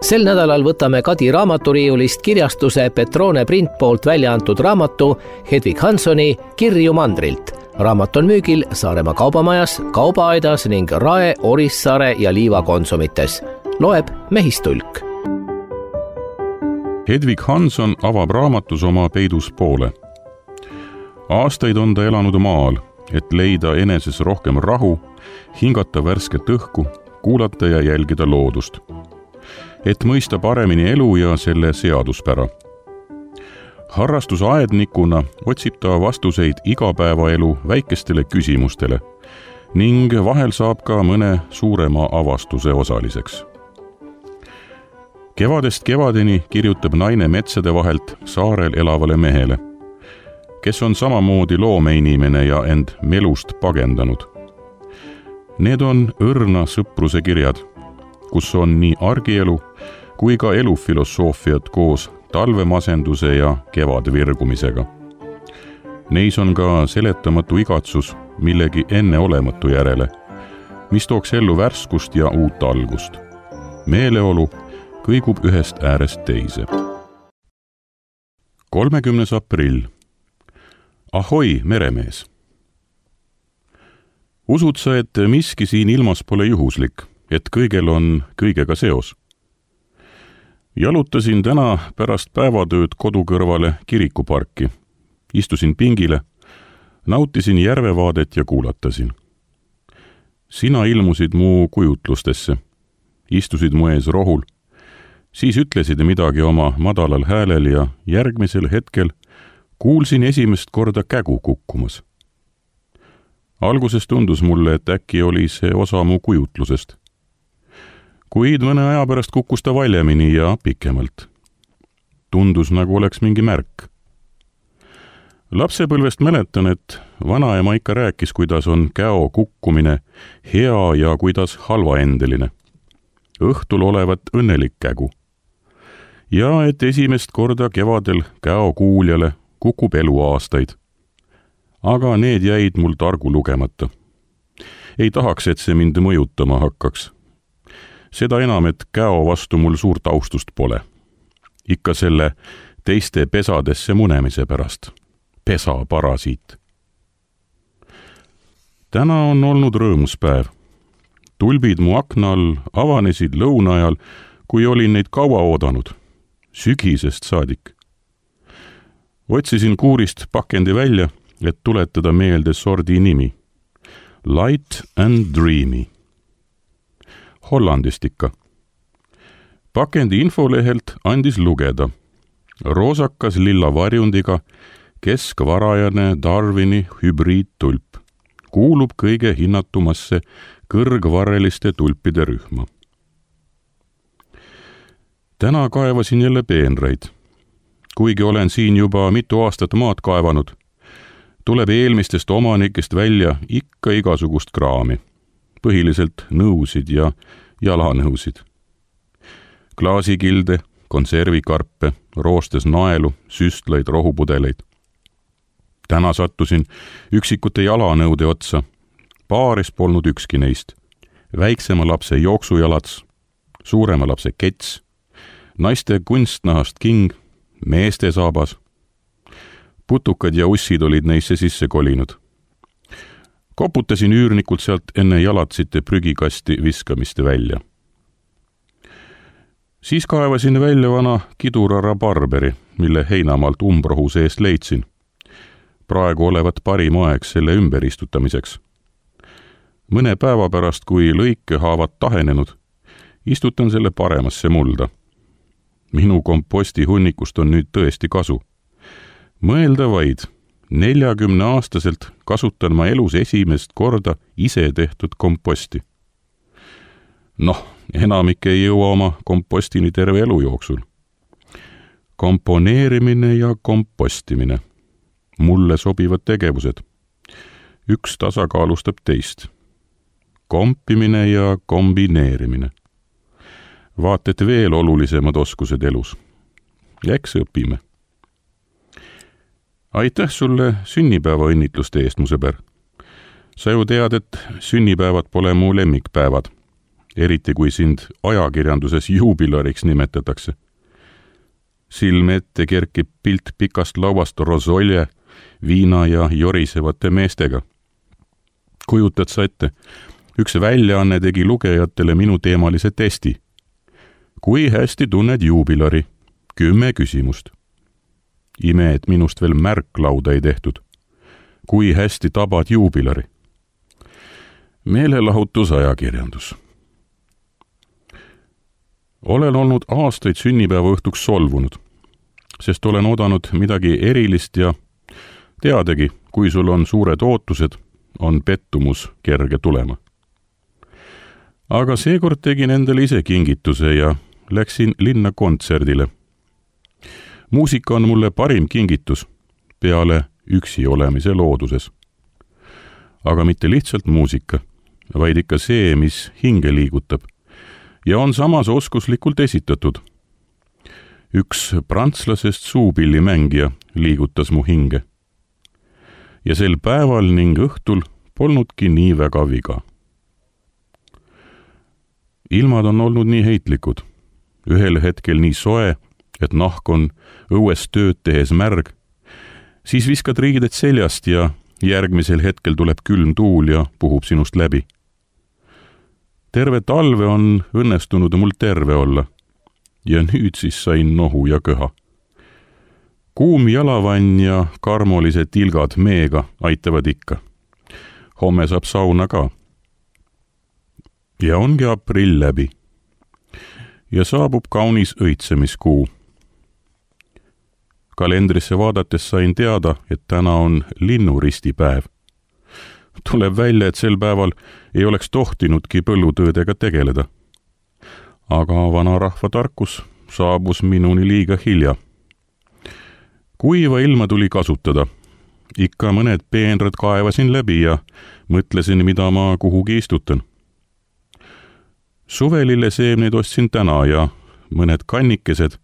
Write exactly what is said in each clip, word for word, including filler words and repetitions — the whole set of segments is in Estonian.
Sel nädalal võtame Kadi raamaturiiulist kirjastuse Petrone Print poolt välja antud raamatu Hedvig Hanssoni Kirju mandrilt. Raamat on müügil Saaremaa kaubamajas, kaubaaedas ning Rae, Orissaare ja Liiva konsumites. Loeb Mehistulk. Hedvig Hansson avab raamatus oma peidus poole. Aastaid on ta elanud maal, et leida eneses rohkem rahu, hingata värsket õhku, kuulata ja jälgida loodust. Et mõista paremini elu ja selle seaduspära. Harrastusaednikuna otsib ta vastuseid igapäevaelu väikestele küsimustele ning vahel saab ka mõne suurema avastuse osaliseks. Kevadest kevadeni kirjutab naine metsade vahelt saarel elavale mehele, kes on samamoodi loomeinimene ja end melust pagendanud. Need on õrna sõpruse kirjad, kus on nii argielu kui ka elufilosoofiat koos talvemasenduse ja kevadvirgumisega. Neis on ka seletamatu igatsus millegi enneolematu järele, mis tooks ellu värskust ja uut algust. Meeleolu kõigub ühest äärest teise. kolmekümnes aprill. Ahoi, meremees! Usud sa, et miski siin ilmas pole juhuslik, et kõigel on kõigega seos? Jalutasin täna pärast päevatööd kodu kõrvale kirikuparki. Istusin pingile, nautisin järvevaadet ja kuulatasin. Sina ilmusid mu kujutlustesse, istusid mu ees rohul, siis ütlesid midagi oma madalal häälel ja järgmisel hetkel kuulsin esimest korda kägu kukkumas. Alguses tundus mulle, et äkki oli see osa mu kujutlusest. Kuid mõne aja pärast kukkus ta valjemini ja pikemalt. Tundus nagu oleks mingi märk. Lapsepõlvest mäletan, et vanaema ikka rääkis, kuidas on käo kukkumine hea ja kuidas halvaendeline. Õhtul olevat õnnelik kägu. Ja et esimest korda kevadel käo kuuljale kukub eluaastaid. Aga need jäid mul targu lugemata. Ei tahaks, et see mind mõjutama hakkaks. Seda enam, et käo vastu mul suurt austust pole. Ikka selle teiste pesadesse munemise pärast. Pesa parasiit. Täna on olnud rõõmus päev. Tulbid mu akna all avanesid lõuna ajal, kui olin neid kaua oodanud. Sügisest saadik. Otsisin kuurist pakendi välja, et tuletada meelde sordi nimi. Light and Dreamy. Hollandist ikka. Pakendi infolehelt andis lugeda. Roosakas lilla varjundiga keskvarajane Darwini hübriidtulp. Kuulub kõige hinnatumasse kõrgvarreliste tulpide rühma. Täna kaevasin jälle peenraid. Kuigi olen siin juba mitu aastat maad kaevanud, tuleb eelmistest omanikest välja ikka igasugust kraami. Põhiliselt nõusid ja jalanõusid. Klaasikilde, konservikarpe, roostes naelu, süstlaid, rohupudeleid. Täna sattusin üksikute jalanõude otsa. Paaris polnud ükski neist. Väiksema lapse jooksujalats, suurema lapse kets, naiste kunstnahast king, meeste saabas. Putukad ja ussid olid neisse sisse kolinud. Koputasin üürnikult sealt enne jalatsite prügikasti viskamiste välja. Siis kaevasin välja vana kidurara barberi, mille heinamaalt umbrohu seest leidsin. Praegu olevat parim aeg selle ümber istutamiseks. Mõne päeva pärast, kui lõike haavad tahenenud, istutan selle paremasse mulda. Minu komposti hunnikust on nüüd tõesti kasu. Mõelda vaid, neljakümne aastaselt kasutan ma elus esimest korda ise tehtud komposti. Noh, enamik ei jõua oma kompostini terve elu jooksul. Komponeerimine ja kompostimine. Mulle sobivad tegevused. Üks tasakaalustab teist. Kompimine ja kombineerimine. Vaat et veel olulisemad oskused elus. Ja eks õpime. Aitäh sulle sünnipäeva õnnitluste eest, mu sõber. Sa ju tead, et sünnipäevad pole mu lemmikpäevad. eriti kui sind ajakirjanduses juubilariks nimetatakse. Silme ette kerkib pilt pikast lauast rosolje, viina ja jorisevate meestega. Kujutad sa ette, üks väljaanne tegi lugejatele minu teemalise testi. Kui hästi tunned juubilari? Kümme küsimust. Ime, et minust veel märklauda ei tehtud. Kui hästi tabad juubilari? Meelelahutusajakirjandus. Olen olnud aastaid sünnipäeva õhtuks solvunud, sest olen oodanud midagi erilist ja teadagi, kui sul on suured ootused, on pettumus kerge tulema. Aga seekord tegin endale ise kingituse ja läksin linna kontserdile. Muusika on mulle parim kingitus peale üksi olemise looduses. Aga mitte lihtsalt muusika, vaid ikka see, mis hinge liigutab ja on samas oskuslikult esitatud. Üks prantslasest suupillimängija liigutas mu hinge. Ja sel päeval ning õhtul polnudki nii väga viga. Ilmad on olnud nii heitlikud, ühel hetkel nii soe, et nahk on õues tööd tehes märg, siis viskad riided seljast ja järgmisel hetkel tuleb külm tuul ja puhub sinust läbi. Terve talve on õnnestunud mul terve olla ja nüüd siis sain nohu ja köha. Kuum jalavann ja karmolised tilgad meega aitavad ikka. Homme saab sauna ka. Ja ongi aprill läbi. Ja saabub kaunis õitsemiskuu. Kalendrisse vaadates sain teada, et täna on linnuristipäev. Tuleb välja, et sel päeval ei oleks tohtinudki põllutöödega tegeleda. Aga vanarahva tarkus saabus minuni liiga hilja. Kuiva ilma tuli kasutada. Ikka mõned peenrad kaevasin läbi ja mõtlesin, mida ma kuhugi istutan. Suvelille seemneid ostsin täna ja mõned kannikesed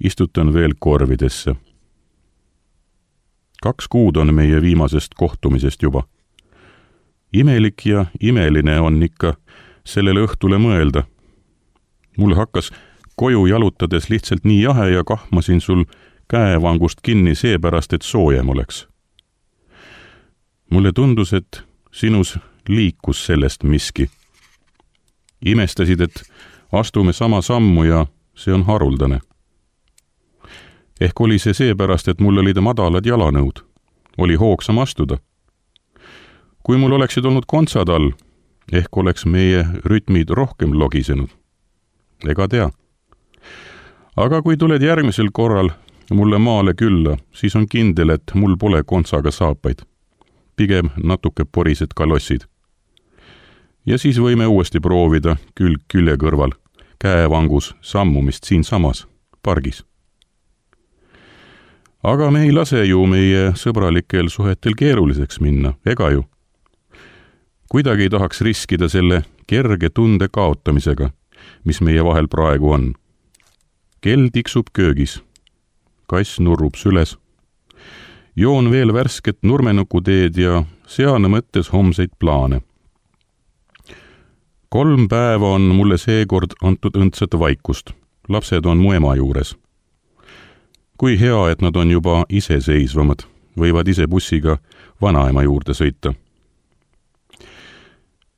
istutan veel korvidesse. Kaks kuud on meie viimasest kohtumisest juba. Imelik ja imeline on ikka sellele õhtule mõelda. Mul hakkas koju jalutades lihtsalt nii jahe ja kahmasin sul käevangust kinni seepärast, et soojem oleks. Mulle tundus, et sinus liikus sellest miski. Imestasid, et astume sama sammu ja see on haruldane. Ehk oli see seepärast, et mul olid madalad jalanõud. Oli hoogsam astuda. Kui mul oleksid olnud kontsad all, ehk oleks meie rütmid rohkem logisenud. Ega tea. Aga kui tuled järgmisel korral mulle maale külla, siis on kindel, et mul pole kontsaga saapaid. Pigem natuke porised kalossid. Ja siis võime uuesti proovida külg külje kõrval, käevangus sammumist siin samas, pargis. Aga me ei lase ju meie sõbralikel suhetel keeruliseks minna, ega ju. Kuidagi ei tahaks riskida selle kerge tunde kaotamisega, mis meie vahel praegu on. Kell tiksub köögis. Kass nurrub süles. Joon veel värsket nurmenukuteed ja sean mõttes homseid plaane. Kolm päeva on mulle seekord antud õndsat vaikust. Lapsed on mu ema juures. Kui hea, et nad on juba iseseisvamad, võivad ise bussiga vanaema juurde sõita.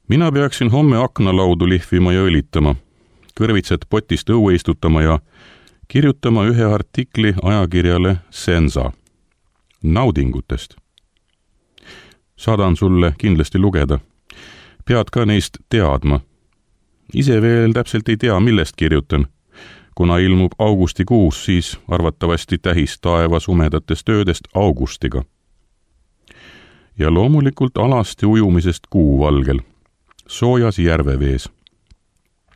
Mina peaksin homme aknalaudu lihvima ja õlitama, kõrvitsed potist õue istutama ja kirjutama ühe artikli ajakirjale Sensa naudingutest. Saadan sulle kindlasti lugeda. Pead ka neist teadma. Ise veel täpselt ei tea, millest kirjutan. Kuna ilmub augustikuus, siis arvatavasti tähis taeva sumedatest öödest augustiga. Ja loomulikult alasti ujumisest kuuvalgel, soojas järvevees.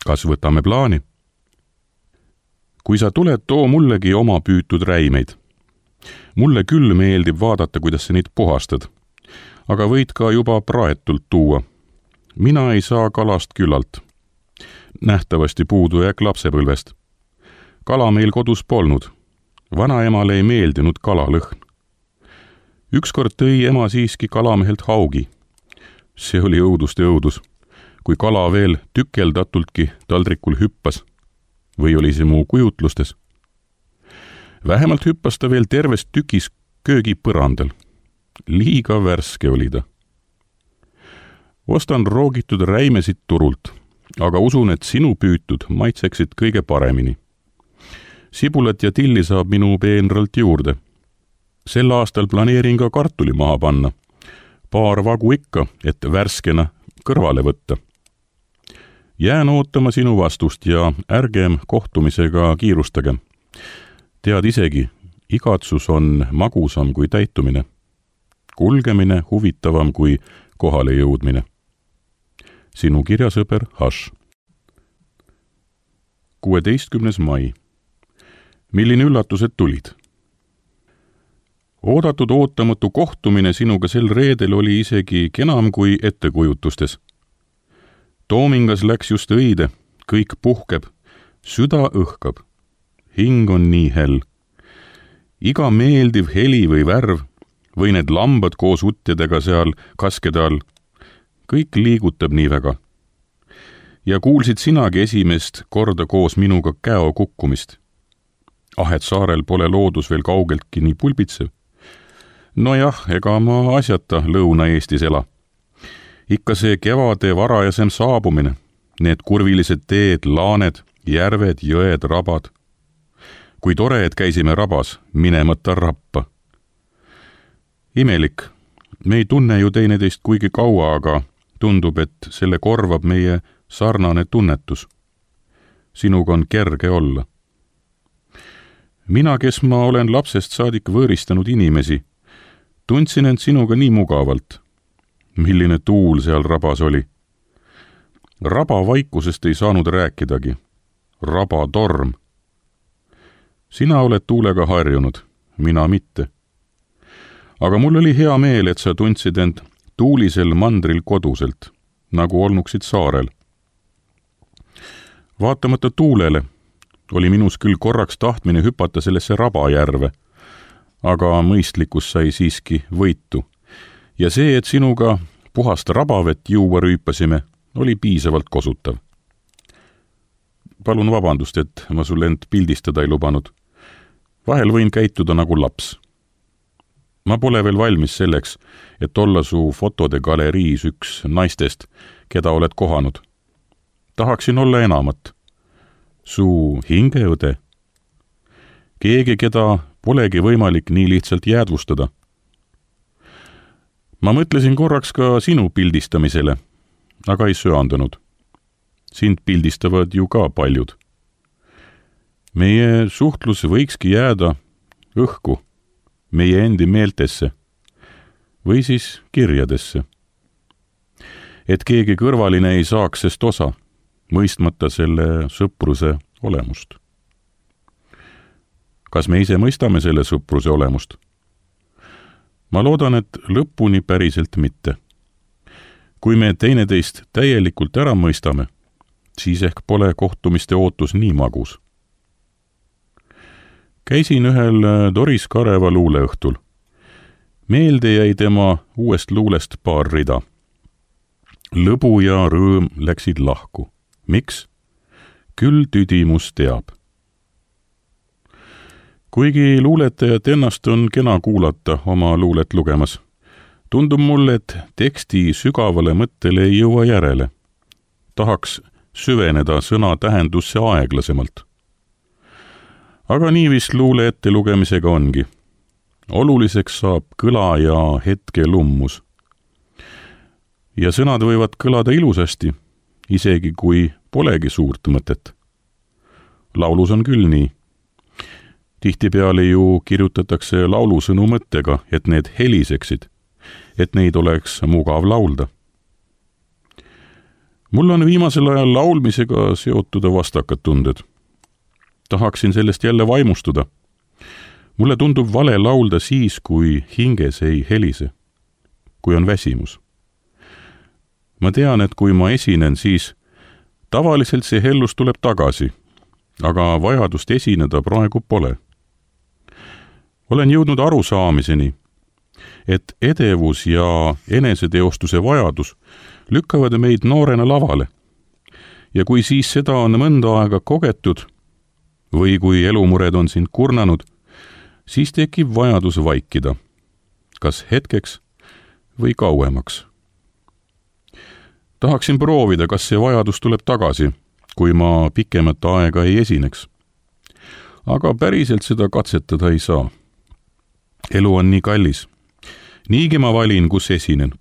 Kas võtame plaani? Kui sa tuled, too mullegi oma püütud räimeid. Mulle küll meeldib vaadata, kuidas sa neid puhastad, aga võid ka juba praetult tuua. Mina ei saa kalast küllalt. Nähtavasti puudujääk lapsepõlvest. Kala meil kodus polnud. Vanaemale ei meeldinud kalalõhn. Ükskord tõi ema siiski kalamehelt haugi. See oli õuduste õudus. kui kala veel tükeldatultki taldrikul hüppas või oli see mu kujutlustes. Vähemalt hüppas ta veel terves tükis köögi põrandal. Liiga värske oli ta. Ostan roogitud räimesid turult, aga usun, et sinu püütud maitseksid kõige paremini. Sibulat ja tilli saab minu peenralt juurde. Sel aastal planeerin ka kartuli maha panna. Paar vagu ikka, et värskena kõrvale võtta. Jään ootama sinu vastust ja ärgem kohtumisega kiirustage. Tead isegi, igatsus on magusam kui täitumine. Kulgemine huvitavam kui kohale jõudmine. Sinu kirjasõber Hash. kuueteistkümnes mai. Milline üllatused tulid? Oodatud ootamatu kohtumine sinuga sel reedel oli isegi kenam kui ettekujutustes. Toomingas läks just õide, kõik puhkeb, süda õhkab, hing on nii hell. Iga meeldiv heli või värv või need lambad koos utjadega seal kaskede all, kõik liigutab nii väga. Ja kuulsid sinagi esimest korda koos minuga käo kukkumist. Ah, et saarel pole loodus veel kaugeltki nii pulbitsev. Nojah, ega ma asjata Lõuna-Eestis ela. Ikka see kevade varajasem saabumine, need kurvilised teed, laaned, järved, jõed, rabad. Kui tore, et käisime rabas, minemata rappa. Imelik, me ei tunne ju teineteist kuigi kaua, aga tundub, et selle korvab meie sarnane tunnetus. Sinuga on kerge olla. Mina, kes ma olen lapsest saadik võõristanud inimesi, tundsin end sinuga nii mugavalt. Milline tuul seal rabas oli. Raba vaikusest ei saanud rääkidagi. Raba torm. Sina oled tuulega harjunud, mina mitte. Aga mul oli hea meel, et sa tundsid end tuulisel mandril koduselt, nagu olnuksid saarel. Vaatamata tuulele oli minus küll korraks tahtmine hüpata sellesse rabajärve, aga mõistlikkus sai siiski võitu. Ja see, et sinuga puhast rabavett juua rüüpasime, oli piisavalt kosutav. Palun vabandust, et ma sul end pildistada ei lubanud. Vahel võin käituda nagu laps. Ma pole veel valmis selleks, et olla su fotode galeriis üks naistest, keda oled kohanud. Tahaksin olla enamat. Su hingeõde. Keegi, keda polegi võimalik nii lihtsalt jäädvustada. Ma mõtlesin korraks ka sinu pildistamisele, aga ei söandunud. Sind pildistavad ju ka paljud. Meie suhtlus võikski jääda õhku, meie endi meeltesse või siis kirjadesse. Et keegi kõrvaline ei saaks sest osa, mõistmata selle sõpruse olemust. Kas me ise mõistame selle sõpruse olemust? Ma loodan, et lõpuni päriselt mitte. Kui me teineteist täielikult ära mõistame, siis ehk pole kohtumiste ootus nii magus. Käisin ühel Doris Kareva luuleõhtul. Meelde jäi tema uuest luulest paar rida. Lõbu ja rõõm läksid lahku. Miks? Küll tüdimus teab. Kuigi luuletajat ennast on kena kuulata oma luulet lugemas, tundub mulle, et teksti sügavale mõttele ei jõua järele. Tahaks süveneda sõna tähendusse aeglasemalt. Aga nii vist luule ette lugemisega ongi. Oluliseks saab kõla ja hetke lummus. Ja sõnad võivad kõlada ilusasti, isegi kui polegi suurt mõtet. Laulus on küll nii. Tihtipeale ju kirjutatakse laulusõnu mõttega, et need heliseksid, et neid oleks mugav laulda. Mul on viimasel ajal laulmisega seotud vastakad tunded. Tahaksin sellest jälle vaimustuda. Mulle tundub vale laulda siis, kui hinges ei helise, kui on väsimus. Ma tean, et kui ma esinen, siis tavaliselt see hellus tuleb tagasi, aga vajadust esineda praegu pole. Olen jõudnud arusaamiseni, et edevus ja eneseteostuse vajadus lükkavad meid noorena lavale. Ja kui siis seda on mõnda aega kogetud või kui elumured on sind kurnanud, siis tekib vajadus vaikida, kas hetkeks või kauemaks. Tahaksin proovida, kas see vajadus tuleb tagasi, kui ma pikemat aega ei esineks. Aga päriselt seda katsetada ei saa. Elu on nii kallis. Niigi ma valin, kus esinen.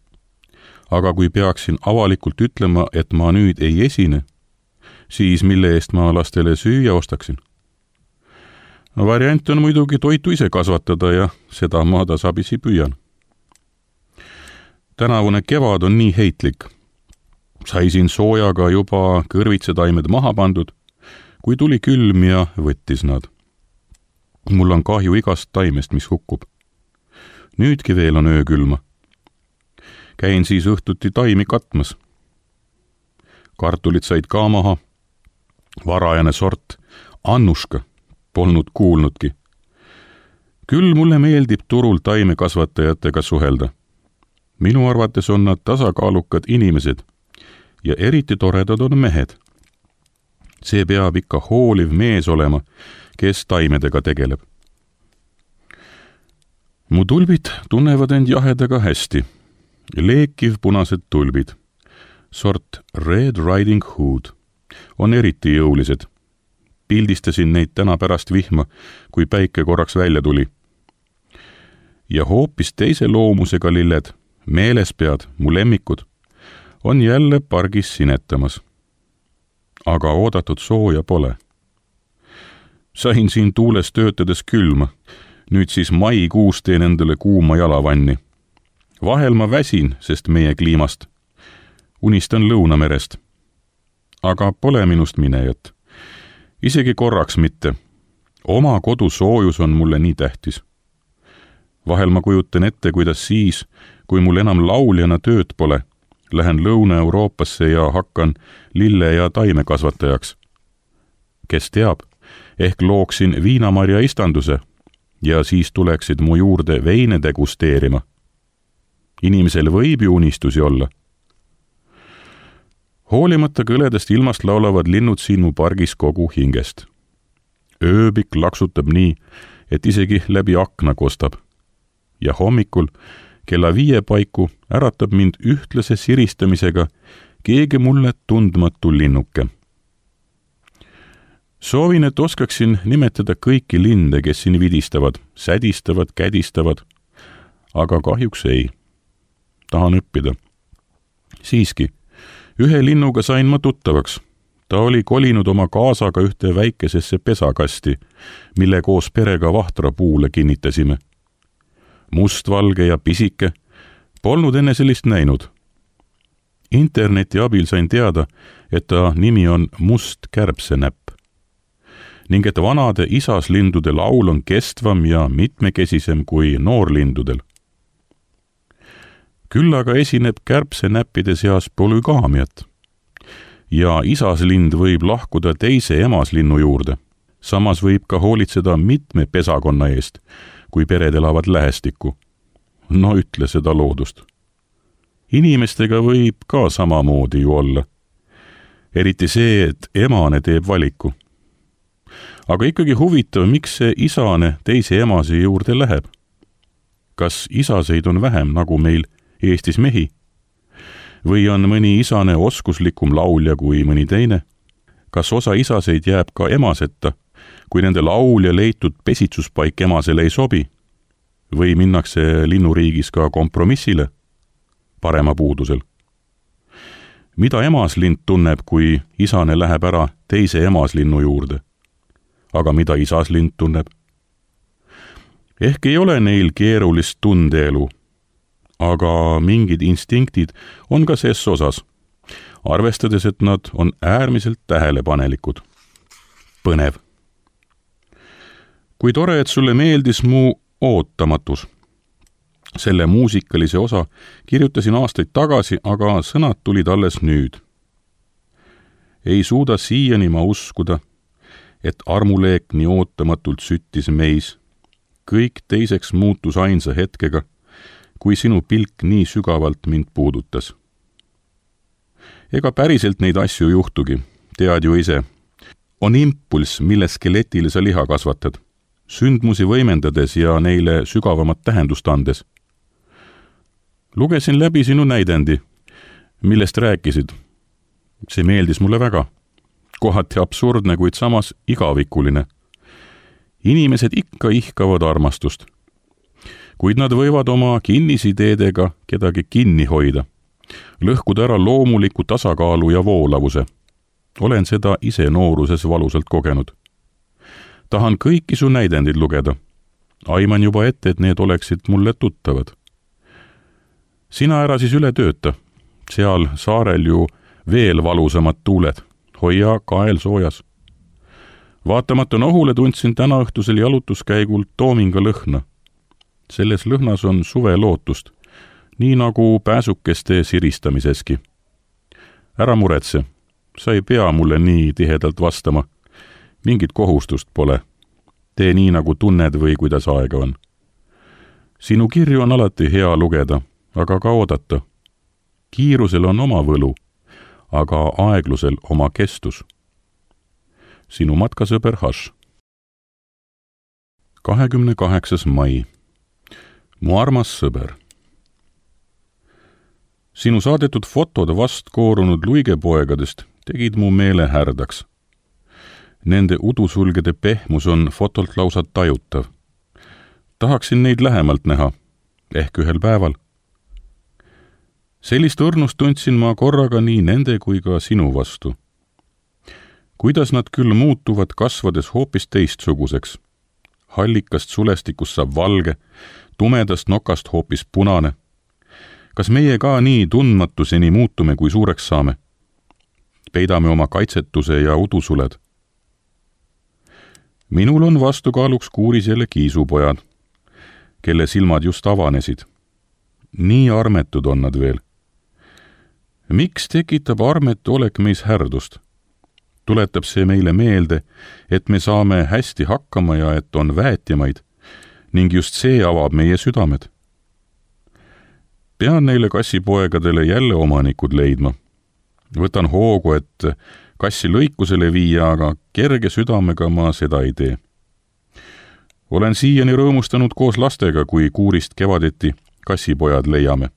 Aga kui peaksin avalikult ütlema, et ma nüüd ei esine, siis mille eest ma lastele süüa ostaksin? Variant on muidugi toitu ise kasvatada ja seda ma tasapisi püüan. Tänavune kevad on nii heitlik. Saisin soojaga juba kõrvitsetaimed maha pandud, kui tuli külm ja võttis nad. Mul on kahju igast taimest, mis hukkub. Nüüdki veel on öökülma. Käin siis õhtuti taimi katmas. Kartulid said ka maha. Varajane sort, Annuška, polnud kuulnudki. Küll mulle meeldib turul taimekasvatajatega suhelda. Minu arvates on nad tasakaalukad inimesed ja eriti toredad on mehed. See peab ikka hooliv mees olema, kes taimedega tegeleb. Mu tulbid tunnevad end jahedaga hästi. Leekiv punased tulbid, sort Red Riding Hood, on eriti jõulised. Pildistasin neid täna pärast vihma, kui päike korraks välja tuli. Ja hoopis teise loomusega lilled, meelespead, mu lemmikud, on jälle pargis sinetamas. Aga oodatud sooja pole. Sain siin tuules töötades külma, nüüd siis maikuus teen endale kuuma jalavanni. Vahel ma väsin, sest meie kliimast. Unistan Lõunamerest. Aga pole minust minejat. Isegi korraks mitte. Oma kodu soojus on mulle nii tähtis. Vahel ma kujutan ette, kuidas siis, kui mul enam lauljana tööd pole, lähen Lõuna-Euroopasse ja hakkan lille- ja taimekasvatajaks. Kes teab, ehk looksin viinamarja istanduse ja siis tuleksid mu juurde veine degusteerima. Inimesel võib ju unistusi olla. Hoolimata kõledest ilmast laulavad linnud siin mu pargis kogu hingest. Ööbik laksutab nii, et isegi läbi akna kostab. Ja hommikul kella viie paiku äratab mind ühtlase siristamisega keegi mulle tundmatu linnuke. Soovin, et oskaksin nimetada kõiki linde, kes siin vidistavad, sädistavad, kädistavad, aga kahjuks ei. Tahan õppida. Siiski, ühe linnuga sain ma tuttavaks. Ta oli kolinud oma kaasaga ühte väikesesse pesakasti, mille koos perega vahtrapuule kinnitasime. Mustvalge ja pisike, polnud enne sellist näinud. Interneti abil sain teada, et ta nimi on must kärbsenäpp ning et vanade isaslindude laul on kestvam ja mitmekesisem kui noorlindudel. Küll aga esineb kärbsenäppide seas polügaamiat ja isaslind võib lahkuda teise emaslinnu juurde. Samas võib ka hoolitseda mitme pesakonna eest, kui pered elavad lähestikku. No ütle seda loodust. Inimestega võib ka samamoodi ju olla. Eriti see, et emane teeb valiku. Aga ikkagi huvitav, miks see isane teise emase juurde läheb. Kas isaseid on vähem, nagu meil Eestis mehi? Või on mõni isane oskuslikum laulja kui mõni teine? Kas osa isaseid jääb ka emaseta, kui nende laulja leitud pesitsuspaik emasele ei sobi? Või minnakse linnuriigis ka kompromissile parema puudusel? Mida emaslind tunneb, kui isane läheb ära teise emaslinnu juurde? Aga mida isaslind tunneb? Ehk ei ole neil keerulist tundeelu, aga mingid instinktid on ka ses osas, arvestades, et nad on äärmiselt tähelepanelikud. Põnev. Kui tore, et sulle meeldis mu ootamatus. Selle muusikalise osa kirjutasin aastaid tagasi, aga sõnad tulid alles nüüd. Ei suuda siiani ma uskuda, et armuleek nii ootamatult süttis meis. Kõik teiseks muutus ainsa hetkega, kui sinu pilk nii sügavalt mind puudutas. ega päriselt neid asju juhtugi, tead ju ise. On impulss, mille skeletile sa liha kasvatad, sündmusi võimendades ja neile sügavamat tähendust andes. Lugesin läbi sinu näidendi, millest rääkisid. See meeldis mulle väga. Kohati absurdne, kuid samas igavikuline. Inimesed ikka ihkavad armastust. Kuid nad võivad oma kinnisideedega kedagi kinni hoida. Lõhkuda ära loomuliku tasakaalu ja voolavuse. Olen seda ise nooruses valusalt kogenud. Tahan kõiki su näidendid lugeda. Aiman juba ette, et need oleksid mulle tuttavad. Sina ära siis üle tööta. Seal saarel ju veel valusamad tuuled. Hoia kael soojas. Vaatamata nohule tundsin täna õhtusel jalutuskäigul toominga lõhna. Selles lõhnas on suve lootust, nii nagu pääsukeste siristamiseski. Ära muretse, sa ei pea mulle nii tihedalt vastama. Mingit kohustust pole. Tee nii, nagu tunned või kuidas aega on. Sinu kirju on alati hea lugeda, aga ka oodata. Kiirusel on oma võlu, aga aeglusel oma kestus. Sinu matkasõber Haš. kahekümne kaheksas mai. Mu armas sõber. Sinu saadetud fotod vast koorunud luigepoegadest tegid mu meele härdaks. Nende udusulgede pehmus on fotolt lausa tajutav. Tahaksin neid lähemalt näha, ehk ühel päeval. Sellist õrnust tundsin ma korraga nii nende kui ka sinu vastu. Kuidas nad küll muutuvad kasvades hoopis teistsuguseks. Hallikast sulestikust saab valge, tumedast nokast hoopis punane. Kas meie ka nii tundmatuseni muutume, kui suureks saame? Peidame oma kaitsetuse ja udusuled. Minul on vastukaaluks kuuris jälle kiisupojad, kelle silmad just avanesid. Nii armetud on nad veel. Miks tekitab armetu olek meis härdust? Tuletab see meile meelde, et me saame hästi hakkama ja et on väetjamaid, ning just see avab meie südamed. Pean neile kassipoegadele jälle omanikud leidma. Võtan hoogu, et kassi lõikusele viia, aga kerge südamega ma seda ei tee. Olen siiani rõõmustanud koos lastega, kui kuurist kevadeti kassipojad leiame.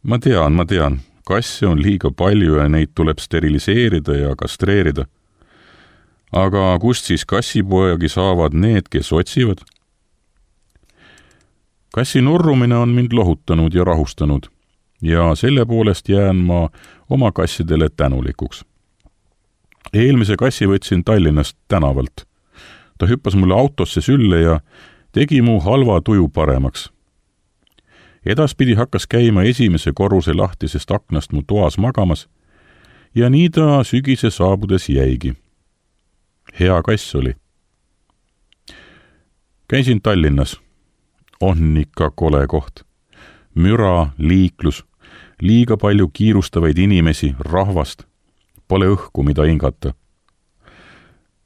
Ma tean, ma tean, kasse on liiga palju ja neid tuleb steriliseerida ja kastreerida. Aga kust siis kassipoegi saavad need, kes otsivad? Kassi nurrumine on mind lohutanud ja rahustanud ja selle poolest jään ma oma kassidele tänulikuks. Eelmise kassi võtsin Tallinnast tänavalt. Ta hüppas mulle autosse sülle ja tegi mu halva tuju paremaks. Edaspidi hakkas käima esimese korruse lahtisest aknast mu toas magamas ja nii ta sügise saabudes jäigi. Hea kass oli. Käisin Tallinnas. On ikka kole koht. Müra, liiklus, liiga palju kiirustavaid inimesi, rahvast. Pole õhku, mida hingata.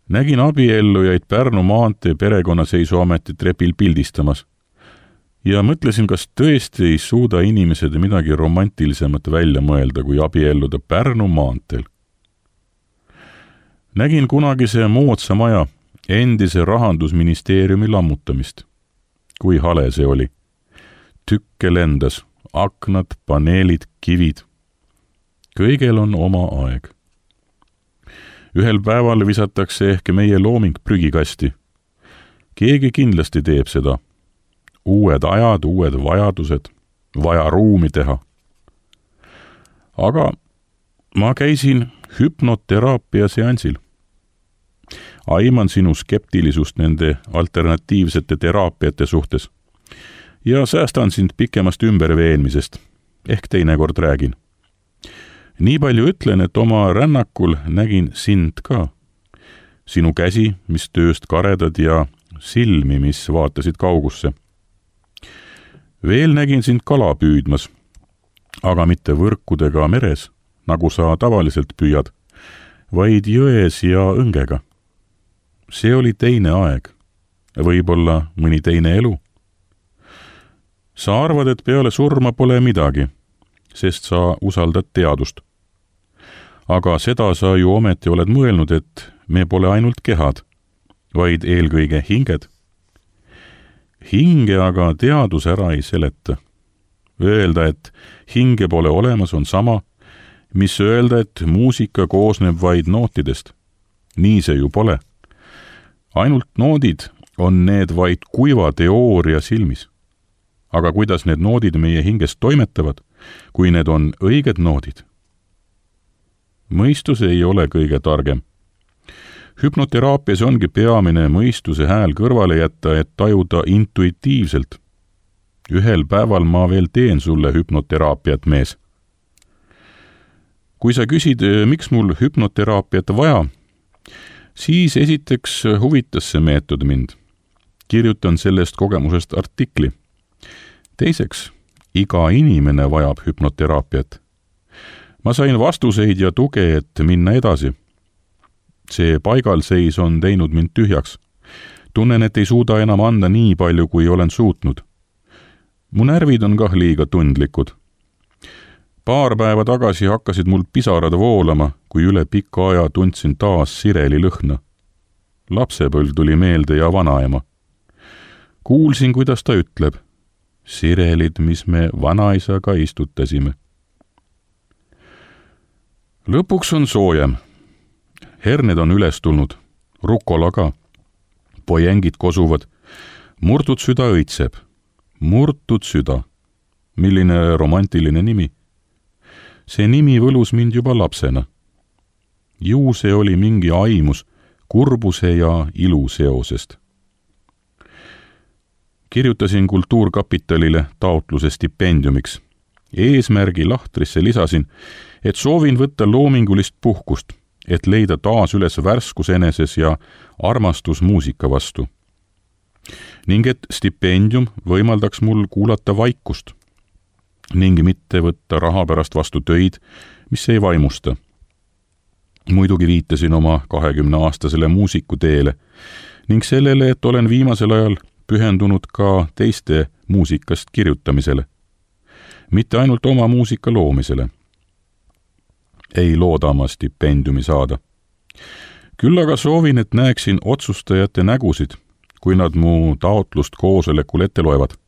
Nägin abiellujaid Pärnu maantee perekonnaseisuameti trepil pildistamas ja mõtlesin, kas tõesti ei suuda inimesed midagi romantilisemat välja mõelda, kui abielluda Pärnu maanteel. Nägin kunagise moodsa maja, endise rahandusministeeriumi lammutamist. Kui hale see oli. Tükke lendas, aknad, paneelid, kivid. Kõigel on oma aeg. Ühel päeval visatakse ehk meie looming prügikasti. Keegi kindlasti teeb seda. Uued ajad, uued vajadused, vaja ruumi teha. Aga ma käisin hüpnoteraapia seansil. Aiman sinu skeptilisust nende alternatiivsete teraapiate suhtes ja säästan sind pikemast ümberveenmisest, ehk teinekord räägin. Nii palju ütlen, et oma rännakul nägin sind ka. Sinu käsi, mis tööst karedad ja silmi, mis vaatasid kaugusse. Veel nägin sind kala püüdmas, aga mitte võrkudega meres, nagu sa tavaliselt püüad, vaid jões ja õngega. See oli teine aeg, võib-olla mõni teine elu. Sa arvad, et peale surma pole midagi, sest sa usaldad teadust. aga seda sa ju ometi oled mõelnud, et me pole ainult kehad, vaid eelkõige hinged. Hinge aga teadus ära ei seleta. Öelda, et hinge pole olemas, on sama, mis öelda, et muusika koosneb vaid nootidest. Nii see ju pole. Ainult noodid on need vaid kuiva teooria silmis. Aga kuidas need noodid meie hingest toimetavad, kui need on õiged noodid? Mõistus ei ole kõige targem. Hüpnoteraapias ongi peamine mõistuse hääl kõrvale jätta, et tajuda intuitiivselt. Ühel päeval ma veel teen sulle hüpnoteraapiat, mees. Kui sa küsid, miks mul hüpnoteraapiat vaja, siis esiteks huvitas see meetod mind. Kirjutan sellest kogemusest artikli. Teiseks, iga inimene vajab hüpnoteraapiat. Ma sain vastuseid ja tuge, et minna edasi. See paigalseis on teinud mind tühjaks. Tunnen, et ei suuda enam anda nii palju, kui olen suutnud. Mu närvid on kah liiga tundlikud. Paar päeva tagasi hakkasid mul pisarad voolama, kui üle pika aja tundsin taas sireli lõhna. Lapsepõlv tuli meelde ja vanaema. Kuulsin, kuidas ta ütleb. Sirelid, mis me vanaisaga istutasime. Lõpuks on soojem. Herned on üles tulnud, rukola ka. Pojengid kosuvad, murtud süda õitseb. Murtud süda. Milline romantiline nimi. See nimi võlus mind juba lapsena. Ju see oli mingi aimus kurbuse ja ilu seosest. Kirjutasin Kultuurkapitalile taotluse stipendiumiks. Eesmärgi lahtrisse lisasin, et soovin võtta loomingulist puhkust, et leida taas üles värskus eneses ja armastus muusika vastu. Ning et stipendium võimaldaks mul kuulata vaikust ning mitte võtta raha pärast vastu töid, mis ei vaimusta. Muidugi viitasin oma kahekümneaastasele muusikuteele ning sellele, et olen viimasel ajal pühendunud ka teiste muusikast kirjutamisele, mitte ainult oma muusika loomisele. Ei looda oma stipendiumi saada. Küll aga soovin, et näeksin otsustajate nägusid, kui nad mu taotlust koosolekul ette loevad.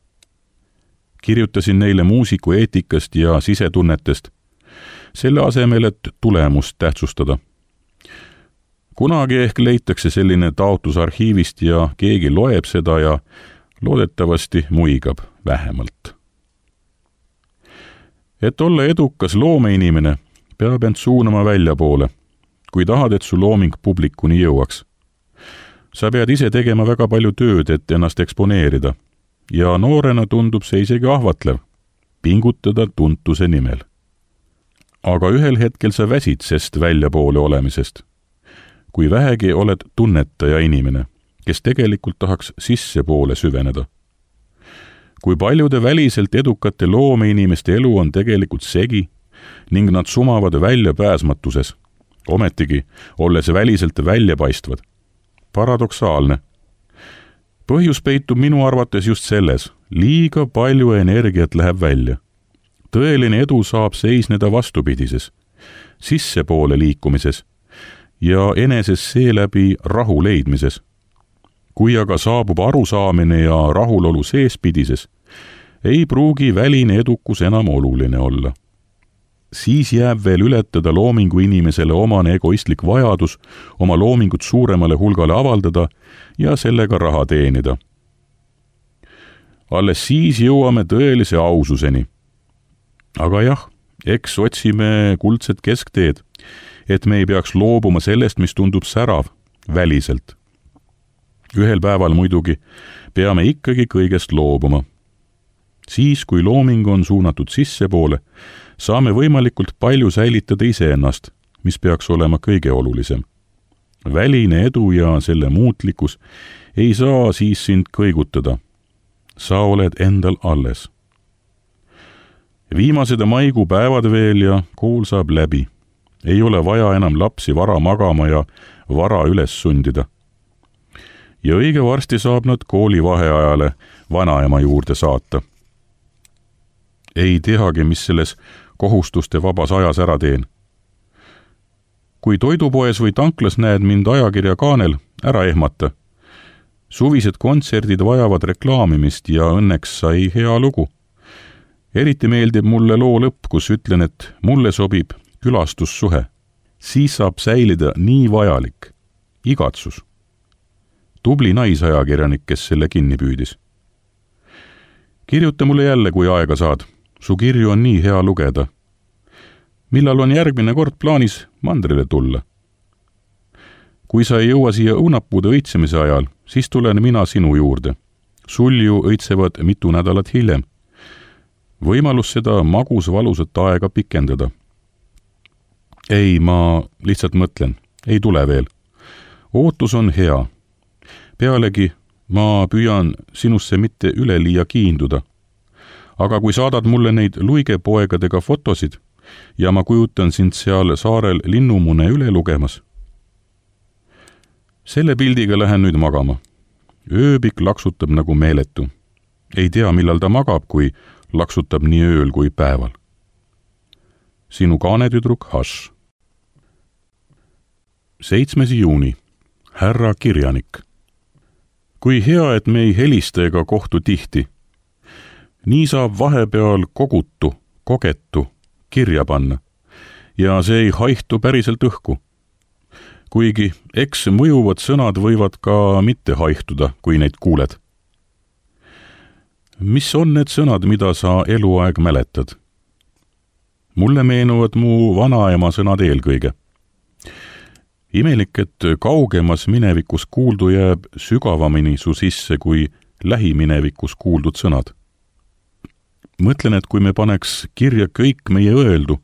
Kirjutasin neile muusiku eetikast ja sisetunnetest, selle asemel, et tulemust tähtsustada. Kunagi ehk leitakse selline taotlus arhiivist ja keegi loeb seda ja loodetavasti muigab vähemalt. Et olla edukas loomeinimene, peab end suunama väljapoole, kui tahad, et su looming publikuni jõuaks. Sa pead ise tegema väga palju tööd, et ennast eksponeerida, ja noorena tundub see isegi ahvatlev, pingutada tuntuse nimel. Aga ühel hetkel sa väsid sest väljapoole olemisest. Kui vähegi oled tunnetaja inimene, kes tegelikult tahaks sissepoole süveneda. Kui paljude väliselt edukate loomeinimeste elu on tegelikult segi ning nad sumavad väljapääsmatuses, ometigi olles väliselt väljapaistvad. Paradoksaalne. Põhjus peitub minu arvates just selles, liiga palju energiat läheb välja. Tõeline edu saab seisneda vastupidises, sissepoole liikumises ja eneses seeläbi rahu leidmises. Kui aga saabub arusaamine ja rahulolu seespidises, ei pruugi väline edukus enam oluline olla. Siis jääb veel ületada loomingu inimesele omane egoistlik vajadus oma loomingut suuremale hulgale avaldada ja sellega raha teenida. Alles siis jõuame tõelise aususeni. Aga jah, eks otsime kuldset keskteed, et me ei peaks loobuma sellest, mis tundub särav, väliselt. Ühel päeval muidugi peame ikkagi kõigest loobuma. Siis, kui looming on suunatud sissepoole, saame võimalikult palju säilitada iseennast, mis peaks olema kõige olulisem. Väline edu ja selle muutlikkus ei saa siis sind kõigutada. Sa oled endal alles. Viimased maikuu päevad veel ja kool saab läbi. Ei ole vaja enam lapsi vara magama ja vara üles sundida. Ja õige varsti saab nad kooli vaheajale vanaema juurde saata. Ei teagi, mis selles kohustuste vabas ajas ära teen. kui toidupoes või tanklas näed mind ajakirja kaanel, ära ehmata. Suvised kontserdid vajavad reklaamimist ja õnneks sai hea lugu. Eriti meeldib mulle loo lõpp, kus ütlen, et mulle sobib külastussuhe. Siis saab säilida nii vajalik. Igatsus. Tubli naisajakirjanik, kes selle kinni püüdis. Kirjuta mulle jälle, kui aega saad. Su kirju on nii hea lugeda. Millal on järgmine kord plaanis mandrile tulla? Kui sa ei jõua siia õunapuude õitsemise ajal, siis tulen mina sinu juurde. Sul ju õitsevad mitu nädalat hiljem. Võimalus seda magus valusat aega pikendada. Ei, ma lihtsalt mõtlen. Ei tule veel. Ootus on hea. Pealegi ma püüan sinusse mitte üleliia kiinduda. Aga kui saadad mulle neid luigepoegadega fotosid ja ma kujutan sind seal saarel linnumune üle lugemas. Selle pildiga lähen nüüd magama. Ööbik laksutab nagu meeletu. Ei tea, millal ta magab, kui laksutab nii ööl kui päeval. Sinu kaanetüdruk Hash. seitsmes juuni. Härra kirjanik. Kui hea, et me ei helista ega kohtu tihti. Nii saab vahepeal kogutu, kogetu, kirja panna. Ja see ei haihtu päriselt õhku. Kuigi eks mõjuvad sõnad võivad ka mitte haihtuda, kui neid kuuled. Mis on need sõnad, mida sa eluaeg mäletad? Mulle meenuvad mu vanaema sõnad eelkõige. Imelik, et kaugemas minevikus kuuldu jääb sügavamini su sisse kui lähiminevikus kuuldud sõnad. Mõtlen, et kui me paneks kirja kõik meie öeldu,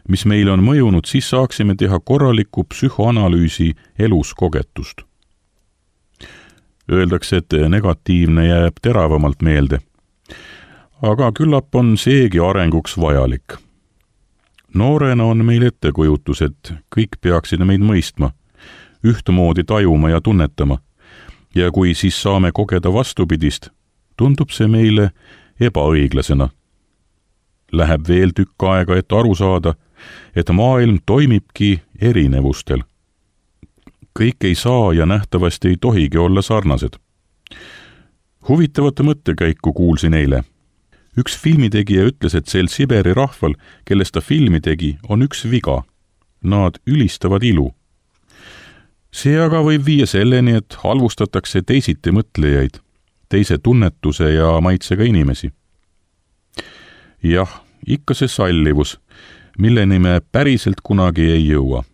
mis meile on mõjunud, siis saaksime teha korraliku psühhoanalüüsi elus kogetust. Öeldakse, et negatiivne jääb teravamalt meelde. Aga küllap on seegi arenguks vajalik. Noorena on meil ettekujutus, et kõik peaksid meid mõistma, ühtemoodi tajuma ja tunnetama. Ja kui siis saame kogeda vastupidist, tundub see meile ebaõiglasena. Läheb veel tükk aega, et aru saada, et maailm toimibki erinevustel. Kõik ei saa ja nähtavasti ei tohigi olla sarnased. Huvitavat mõttekäiku kuulsin eile. Üks filmitegija ütles, et sel Siberi rahval, kellest ta filmi tegi, on üks viga. Nad ülistavad ilu. See aga võib viia selleni, et halvustatakse teisiti mõtlejaid, teise tunnetuse ja maitsega inimesi. Jah, ikka see sallivus, milleni me päriselt kunagi ei jõua.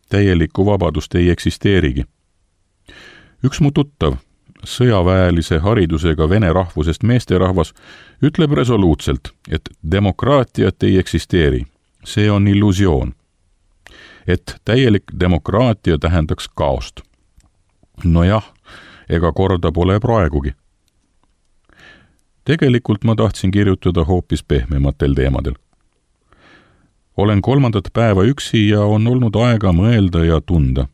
Täielikku vabadust ei eksisteerigi. Üks mu tuttav, sõjaväelise haridusega vene rahvusest meesterahvas, ütleb resoluutselt, et demokraatiat ei eksisteeri. See on illusioon. Et täielik demokraatia tähendaks kaost. Nojah, ega korda pole praegugi. Tegelikult ma tahtsin kirjutada hoopis pehmematel teemadel. Olen kolmandat päeva üksi ja on olnud aega mõelda ja tunda.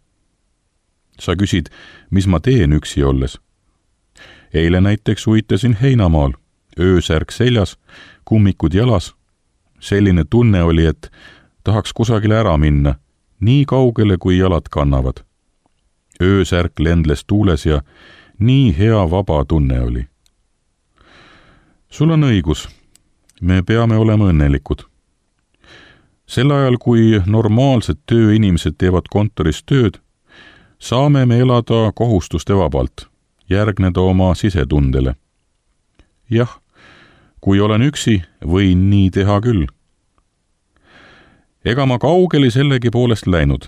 Sa küsid, mis ma teen üksi olles? Eile näiteks uitasin heinamaal, öösärk seljas, kummikud jalas. Selline tunne oli, et tahaks kusagile ära minna, nii kaugele kui jalad kannavad. Öösärk lendles tuules ja nii hea vaba tunne oli. Sul on õigus, me peame olema õnnelikud. Sel ajal, kui normaalsed tööinimesed teevad kontoris tööd, saame me elada kohustuste vabalt, järgneda oma sisetundele. Jah, kui olen üksi, võin nii teha küll. Ega ma kaugeli sellegi poolest läinud.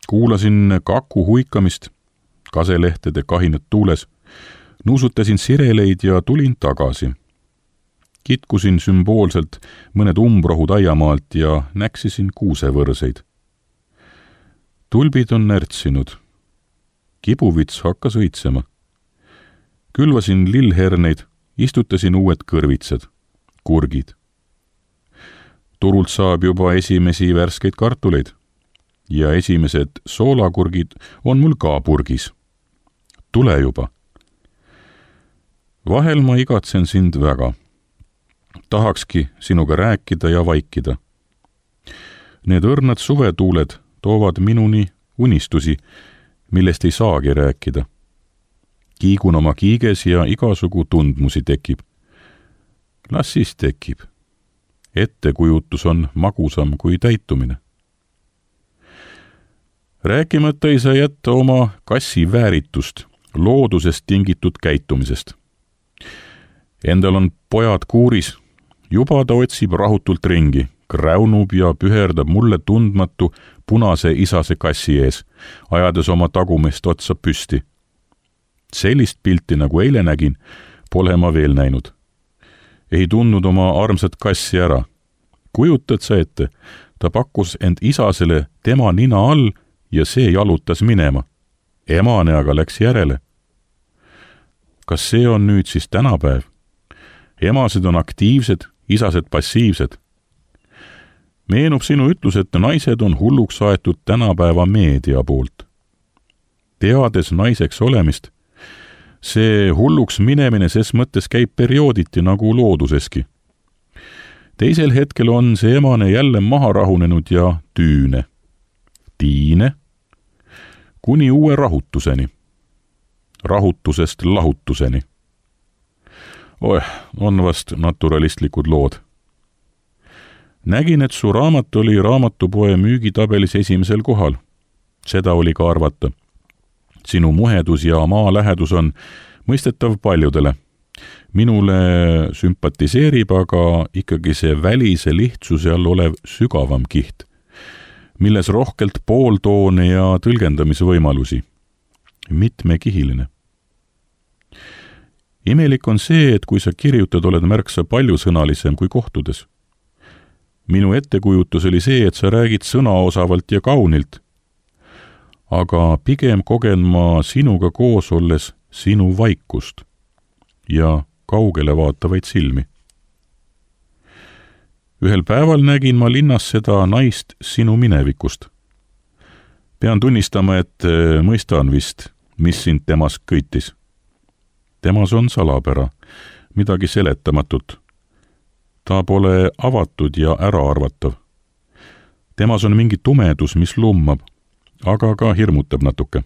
Kuulasin kaku huikamist, kaselehtede kahinet tuules, nuusutasin sireleid ja tulin tagasi. Kitkusin sümboolselt mõned umbrohud aiamaalt ja näksisin kuusevõrseid. Tulbid on närtsinud. Kibuvits hakkas õitsema. Külvasin lillherneid, istutasin uued kõrvitsad, kurgid. Turult saab juba esimesi värskeid kartuleid ja esimesed soolakurgid on mul ka purgis. Tule juba. Vahel ma igatsen sind väga. Tahakski sinuga rääkida ja vaikida. Need õrnad suvetuuled toovad minuni unistusi, millest ei saagi rääkida. Kiigun oma kiiges ja igasugu tundmusi tekib. Las siis tekib. Ettekujutus on magusam kui täitumine. Rääkimata ei saa jätta oma kassi vääritust, loodusest tingitud käitumisest. Endal on pojad kuuris, juba ta otsib rahutult ringi, kräunub ja püherdab mulle tundmatu punase isase kassi ees, ajades oma tagumist otsa püsti. Sellist pilti, nagu eile nägin, pole ma veel näinud. Ei tundnud oma armsat kassi ära. Kujutad sa ette, ta pakkus end isasele tema nina all ja see jalutas minema. Emane aga läks järele. Kas see on nüüd siis tänapäev? Emased on aktiivsed, isased passiivsed. Meenub sinu ütlus, et naised on hulluks aetud tänapäeva meedia poolt. Teades naiseks olemist, see hulluks minemine ses mõttes käib periooditi nagu looduseski. Teisel hetkel on see emane jälle maha rahunenud ja tüüne. Tiine, kuni uue rahutuseni. Rahutusest lahutuseni. Oeh, on vast naturalistlikud lood. Nägin, et su raamat oli raamatupoe müügitabelis esimesel kohal. Seda oli ka arvata. Sinu muhedus ja maalähedus on mõistetav paljudele. Minule sümpatiseerib aga ikkagi see välise lihtsuse all olev sügavam kiht, milles rohkelt pooltoone ja tõlgendamisvõimalusi. Mitmekihiline. Imelik on see, et kui sa kirjutad, oled märksa paljusõnalisem kui kohtudes. Minu ettekujutus oli see, et sa räägid sõnaosavalt ja kaunilt, aga pigem kogen ma sinuga koos olles sinu vaikust ja kaugele vaatavaid silmi. Ühel päeval nägin ma linnas seda naist sinu minevikust. Pean tunnistama, et mõistan vist, mis sind temas köitis. Temas on salapära, midagi seletamatut. Ta pole avatud ja äraarvatav. Temas on mingi tumedus, mis lummab, aga ka hirmutab natuke.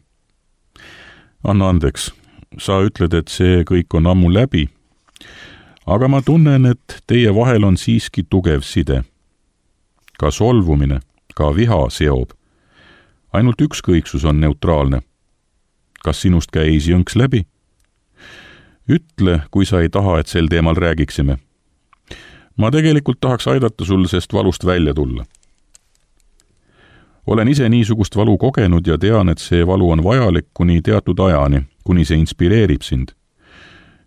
Anna andeks, sa ütled, et see kõik on ammu läbi, aga ma tunnen, et teie vahel on siiski tugev side. Ka solvumine, ka viha seob. Ainult ükskõiksus on neutraalne. Kas sinust käis jõnks läbi? Ütle, kui sa ei taha, et sel teemal räägiksime. Ma tegelikult tahaks aidata sul sest valust välja tulla. Olen ise niisugust valu kogenud ja tean, et see valu on vajalik kuni teatud ajani, kuni see inspireerib sind.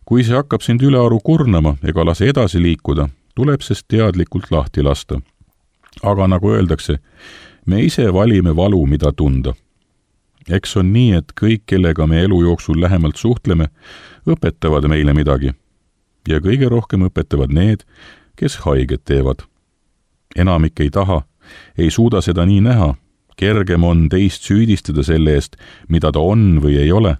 Kui see hakkab sind ülearu kurnama ega lase edasi liikuda, tuleb sest teadlikult lahti lasta. Aga nagu öeldakse, me ise valime valu, mida tunda. Eks on nii, et kõik, kellega me elu jooksul lähemalt suhtleme, õpetavad meile midagi. Ja kõige rohkem õpetavad need, kes haiget teevad. Enamik ei taha, ei suuda seda nii näha. Kergem on teist süüdistada selle eest, mida ta on või ei ole.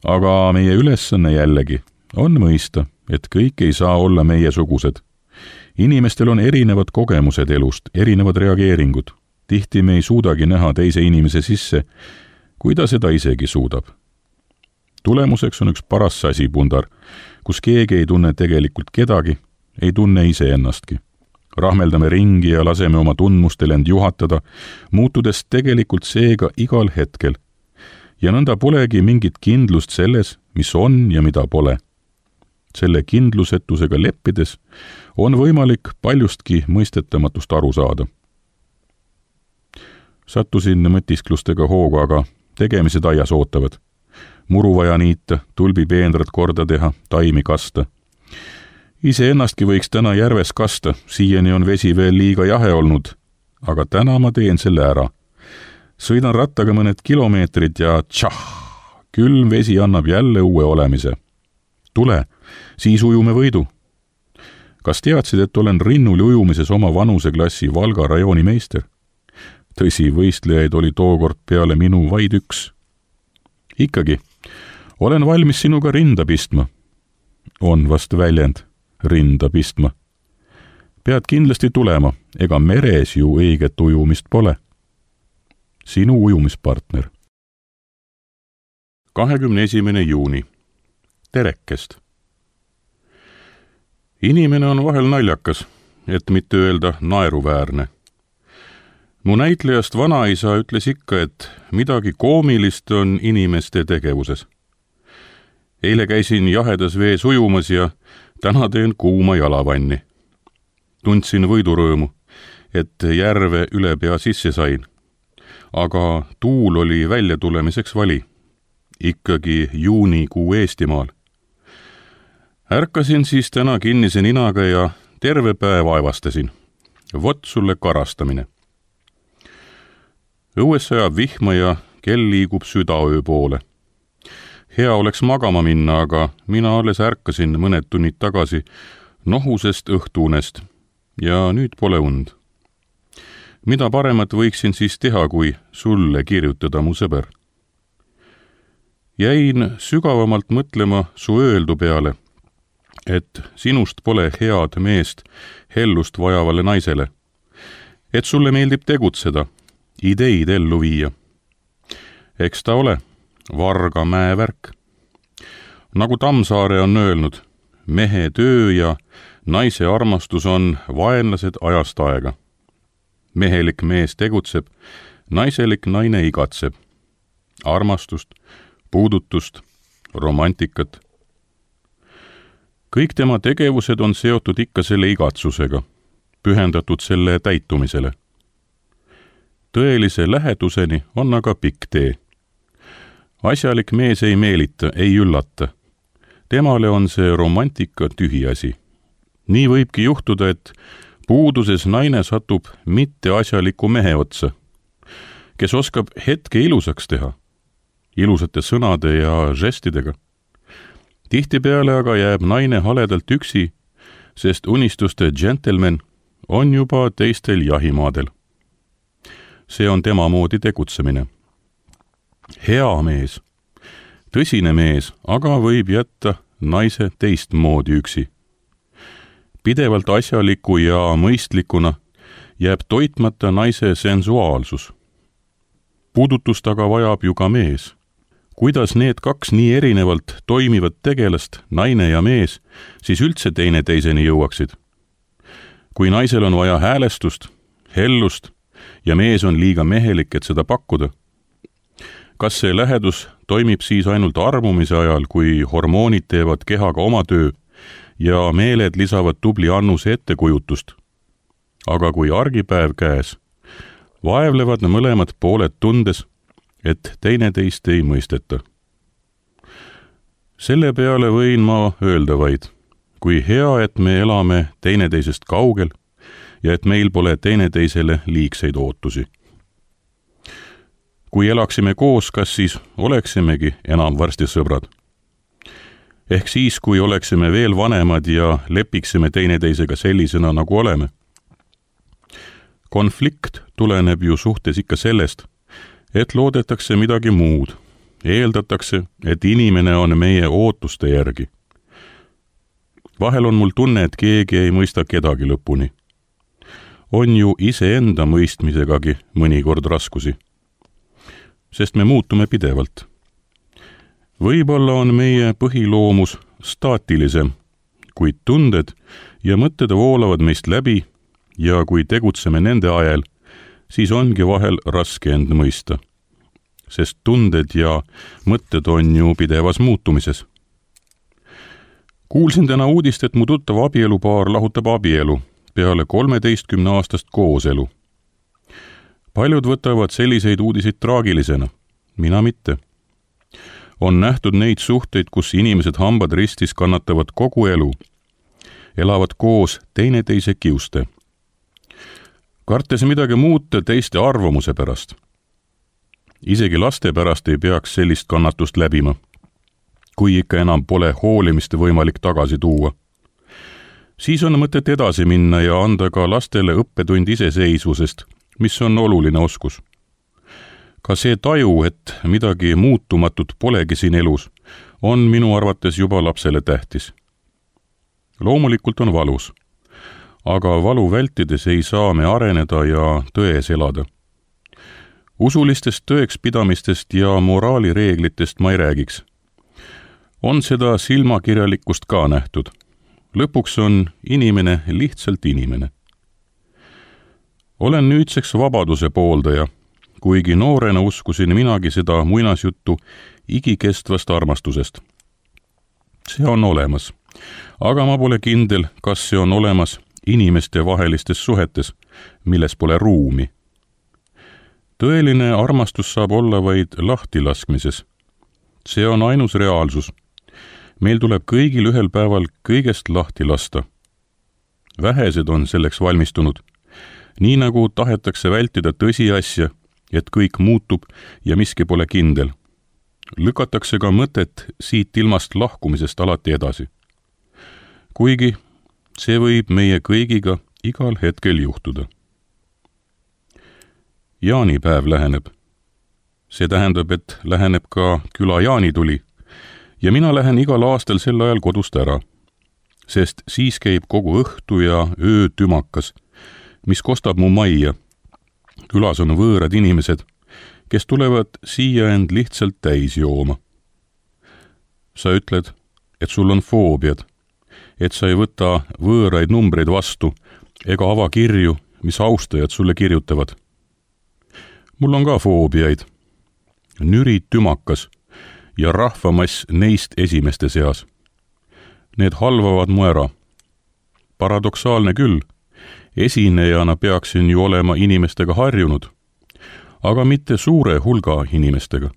Aga meie ülesanne jällegi on mõista, et kõik ei saa olla meiesugused. Inimestel on erinevad kogemused elust, erinevad reageeringud. Tihti me ei suudagi näha teise inimese sisse, kui ta seda isegi suudab. Tulemuseks on üks paras sasipundar, kus keegi ei tunne tegelikult kedagi, ei tunne ise ennastki. Rahmeldame ringi ja laseme oma tundmustel end juhatada, muutudes tegelikult seega igal hetkel. Ja nõnda polegi mingit kindlust selles, mis on ja mida pole. Selle kindlusetusega leppides on võimalik paljustki mõistetamatust aru saada. Sattusin mõtisklustega hoogu, aga tegemised aias ootavad. Muru vaja niita, tulbipeenrad korda teha, taimi kasta. Ise ennastki võiks täna järves kasta, siiani on vesi veel liiga jahe olnud, aga täna ma teen selle ära. Sõidan rattaga mõned kilomeetrid ja tšah, külm vesi annab jälle uue olemise. Tule, siis ujume võidu. Kas teadsid, et olen rinnul ujumises oma vanuseklassi Valga rajooni meister? Tõsi, võistlejaid oli tookord peale minu vaid üks. Ikkagi, olen valmis sinuga rinda pistma. On vast väljend, rinda pistma. Pead kindlasti tulema, ega meres ju õiget ujumist pole. Sinu ujumispartner. kahekümne esimene juuni. Terekest. Inimene on vahel naljakas, et mitte öelda naeruväärne. Mu näitlejast vanaisa ütles ikka, et midagi koomilist on inimeste tegevuses. Eile käisin jahedas vees ujumas ja täna teen kuuma jalavanni. Tundsin võidurõõmu, et järve üle pea sisse sain. Aga tuul oli välja tulemiseks vali. Ikkagi juunikuu Eestimaal. Ärkasin siis täna kinnise ninaga ja terve päev aevastasin. Vot sulle karastamine. Õues sajab vihma ja kell liigub südaöö poole. Hea oleks magama minna, aga mina alles ärkasin mõned tunnid tagasi nohusest õhtuunest ja nüüd pole und. Mida paremat võiksin siis teha, kui sulle kirjutada, mu sõber? Jäin sügavamalt mõtlema su öeldu peale, et sinust pole head meest hellust vajavale naisele, et sulle meeldib tegutseda, ideid ellu viia. Eks ta ole varga mäevärk. Nagu Tammsaare on öelnud, mehe töö ja naise armastus on vaenlased ajast aega. Mehelik mees tegutseb, naiselik naine igatseb. Armastust, puudutust, romantikat. Kõik tema tegevused on seotud ikka selle igatsusega, pühendatud selle täitumisele. Tõelise läheduseni on aga pikk tee. Asjalik mees ei meelita, ei üllata. Temale on see romantika tühiasi. Nii võibki juhtuda, et puuduses naine satub mitte asjaliku mehe otsa, kes oskab hetke ilusaks teha, ilusate sõnade ja žestidega. Tihtipeale aga jääb naine haledalt üksi, sest unistuste džentelmen on juba teistel jahimaadel. See on tema moodi tegutsemine. Hea mees, tõsine mees, aga võib jätta naise teistmoodi üksi. Pidevalt asjaliku ja mõistlikuna jääb toitmata naise sensuaalsus. Puudutust aga vajab ju ka mees. Kuidas need kaks nii erinevalt toimivad tegelast, naine ja mees, siis üldse teine teiseni jõuaksid? Kui naisel on vaja häälestust, hellust ja mees on liiga mehelik, et seda pakkuda, kas see lähedus toimib siis ainult armumise ajal, kui hormoonid teevad kehaga oma töö ja meeled lisavad tubli annuse ettekujutust? Aga kui argipäev käes, vaevlevad mõlemad pooled tundes, et teineteist ei mõisteta. Selle peale võin ma öelda vaid, kui hea, et me elame teineteisest kaugel ja et meil pole teineteisele liigseid ootusi. Kui elaksime koos, kas siis oleksimegi enam varsti sõbrad? Ehk siis, kui oleksime veel vanemad ja lepiksime teineteisega sellisena, nagu oleme. Konflikt tuleneb ju suhtes ikka sellest, et loodetakse midagi muud. Eeldatakse, et inimene on meie ootuste järgi. Vahel on mul tunne, et keegi ei mõista kedagi lõpuni. On ju iseenda mõistmisegagi mõnikord raskusi. Sest me muutume pidevalt. Võib-olla on meie põhiloomus staatilisem, kuid tunded ja mõtted voolavad meist läbi ja kui tegutseme nende ajal, siis ongi vahel raske end mõista. Sest tunded ja mõtted on ju pidevas muutumises. Kuulsin täna uudist, et mu tuttav abielupaar lahutab abielu peale kolmeteistkümne aastast kooselu. Paljud võtavad selliseid uudiseid traagilisena, mina mitte. On nähtud neid suhteid, kus inimesed hambad ristis kannatavad kogu elu, elavad koos teineteise kiuste. Kartes midagi muuta teiste arvamuse pärast. Isegi laste pärast ei peaks sellist kannatust läbima, kui ikka enam pole hoolimist võimalik tagasi tuua. Siis on mõtet edasi minna ja anda ka lastele õppetund iseseisvusest, mis on oluline oskus. Ka see taju, et midagi muutumatut polegi siin elus, on minu arvates juba lapsele tähtis. Loomulikult on valus, aga valu vältides ei saa me areneda ja tões elada. Usulistest tõekspidamistest ja moraalireeglitest ma ei räägiks. On seda silmakirjalikkust ka nähtud. Lõpuks on inimene lihtsalt inimene. Olen nüüdseks vabaduse pooldaja, kuigi noorena uskusin minagi seda muinasjuttu igikestvast armastusest. See on olemas, aga ma pole kindel, kas see on olemas inimeste vahelistes suhetes, milles pole ruumi. Tõeline armastus saab olla vaid lahtilaskmises. See on ainus reaalsus. Meil tuleb kõigil ühel päeval kõigest lahti lasta. Vähesed on selleks valmistunud, nii nagu tahetakse vältida tõsiasja, et kõik muutub ja miski pole kindel. Lükatakse ka mõtet siit ilmast lahkumisest alati edasi. Kuigi see võib meie kõigiga igal hetkel juhtuda. Jaanipäev läheneb. See tähendab, et läheneb ka küla jaanituli ja mina lähen igal aastal sel ajal kodust ära, sest siis käib kogu õhtu ja öö tümakas, mis kostab mu majja. Külas on võõrad inimesed, kes tulevad siia end lihtsalt täis jooma. Sa ütled, et sul on foobiad, et sa ei võta võõraid numbreid vastu ega ava kirju, mis austajad sulle kirjutavad. Mul on ka foobiaid. Nüri tümakas ja rahvamass neist esimeste seas. Need halvavad mu ära. Paradoksaalne küll. Esinejana peaksin ju olema inimestega harjunud, aga mitte suure hulga inimestega.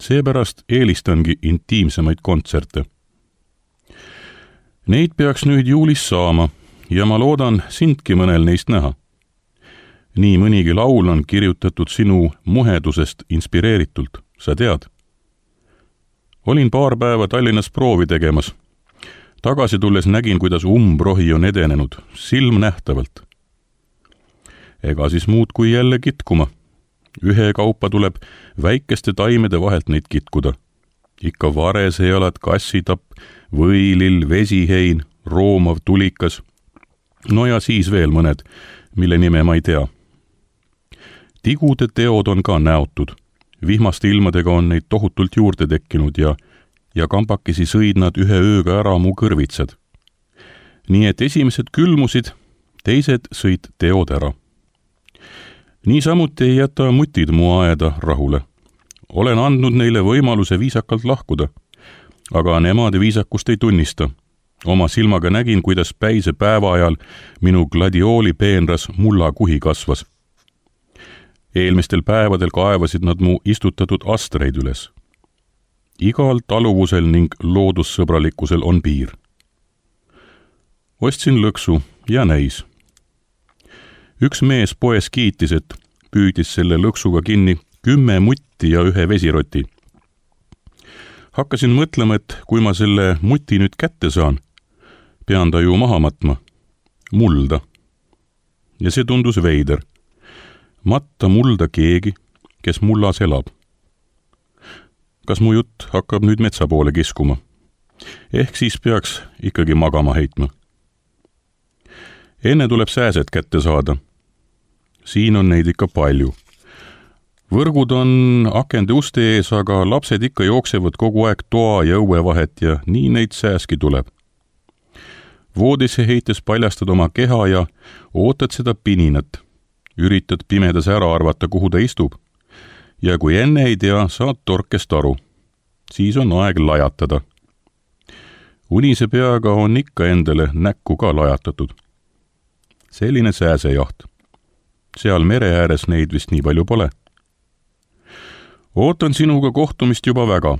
Seepärast eelistangi intiimsemaid kontserte. Neid peaks nüüd juulis saama ja ma loodan sindki mõnel neist näha. Nii mõnigi laul on kirjutatud sinu muhedusest inspireeritult, sa tead. Olin paar päeva Tallinnas proovi tegemas. Tagasi tulles nägin, kuidas umbrohi on edenenud, silm nähtavalt. Ega siis muud kui jälle kitkuma. Ühe kaupa tuleb väikeste taimede vahelt neid kitkuda. Ikka varesejalad, kassitapp, võilill, vesihein, roomav tulikas. No ja siis veel mõned, mille nime ma ei tea. Tigude teod on ka näotud. Vihmaste ilmadega on neid tohutult juurde tekkinud ja ja kambakesi sõid nad ühe ööga ära mu kõrvitsad. Nii et esimesed külmusid, teised sõid teod ära. Niisamuti ei jäta mutid mu aeda rahule. Olen andnud neile võimaluse viisakalt lahkuda, aga nemad viisakust ei tunnista. Oma silmaga nägin, kuidas päise päeva ajal minu gladiooli peenras mulla kuhi kasvas. Eelmistel päevadel kaevasid nad mu istutatud astreid üles. Igal taluvusel ning loodussõbralikkusel on piir. Ostsin lõksu ja näis. Üks mees poes kiitis, et püüdis selle lõksuga kinni kümme mutti ja ühe vesiroti. Hakkasin mõtlema, et kui ma selle muti nüüd kätte saan, pean ta ju maha matma, mulda. Ja see tundus veider. Matta mulda keegi, kes mullas elab. Kas mu jutt hakkab nüüd metsa poole kiskuma? Ehk siis peaks ikkagi magama heitma. Enne tuleb sääsed kätte saada. Siin on neid ikka palju. Võrgud on akende uste ees, aga lapsed ikka jooksevad kogu aeg toa ja õue vahet ja nii neid sääski tuleb. Voodisse heites paljastad oma keha ja ootad seda pininat. Üritad pimedas ära arvata, kuhu ta istub. Ja kui enne ei tea, saad torkest aru. Siis on aeg lajatada. Unise peaga on ikka endale näkku ka lajatatud. Selline sääsejaht. Seal mere ääres neid vist nii palju pole. Ootan sinuga kohtumist juba väga.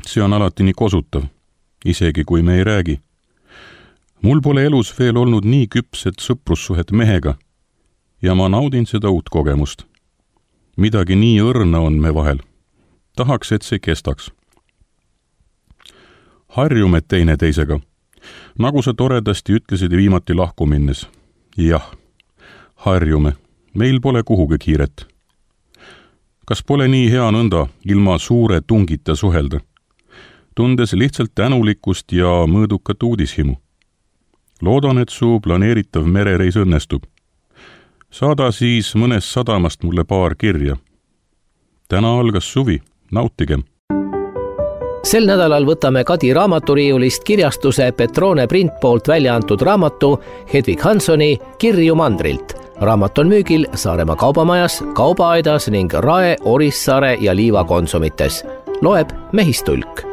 See on alati nii kosutav, isegi kui me ei räägi. Mul pole elus veel olnud nii küpset sõprussuhet mehega ja ma naudin seda uut kogemust. Midagi nii õrna on me vahel. Tahaks, et see kestaks. Harjume teine teisega. Nagu sa toredasti ütlesid viimati lahku minnes. Jah, harjume. Meil pole kuhugi kiiret. Kas pole nii hea nõnda ilma suure tungita suhelda? Tundes lihtsalt tänulikkust ja mõõdukat uudishimu. loodan, et su planeeritav merereis õnnestub. Saada siis mõnest sadamast mulle paar kirja. Täna algas suvi, nautigem! Sel nädalal võtame Kadi raamaturiiulist kirjastuse Petrone Print poolt välja antud raamatu Hedvig Hansoni Kirju mandrilt. Raamat on müügil Saaremaa kaubamajas, kaubaaedas ning Rae, Orissaare ja Liiva konsumites. Loeb Mehistulk.